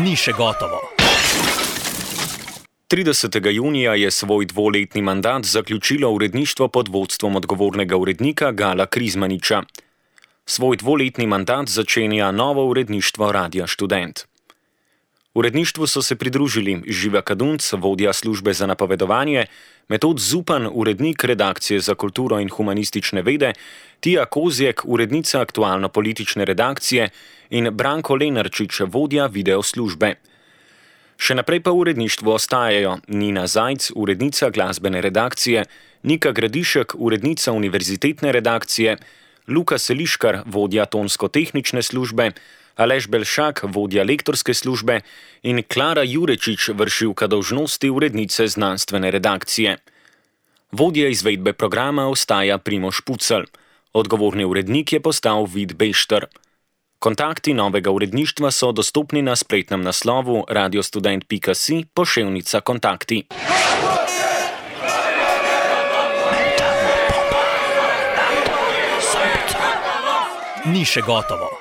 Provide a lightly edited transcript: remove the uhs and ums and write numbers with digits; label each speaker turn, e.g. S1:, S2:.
S1: Ni še gotovo.
S2: 30. junija je svoj dvoletni mandat zaključilo uredništvo pod vodstvom odgovornega urednika Gala Krizmaniča. Svoj dvoletni mandat začenja novo uredništvo Radia Študent. Uredništvu so se pridružili Živa Kadunc, vodja službe za napovedovanje, Metod Zupan, urednik redakcije za kulturo in humanistične vede, Tija Kozjek, urednica aktualno-politične redakcije in Branko Lenarčič, vodja video službe. Še naprej pa v uredništvu ostajajo Nina Zajc, urednica glasbene redakcije, Nika Gradišek, urednica univerzitetne redakcije, Luka Seliškar, vodja tonsko-tehnične službe, Aleš Belšak, vodja lektorske službe in Klara Jurečič, vršilka dolžnosti urednice znanstvene redakcije. Vodja izvedbe programa ostaja Primož Pucelj. Odgovorni urednik je postal Vid Bešter. Kontakti novega uredništva so dostopni na spletnem naslovu radiostudent.si /kontakti.
S1: Ni še gotovo.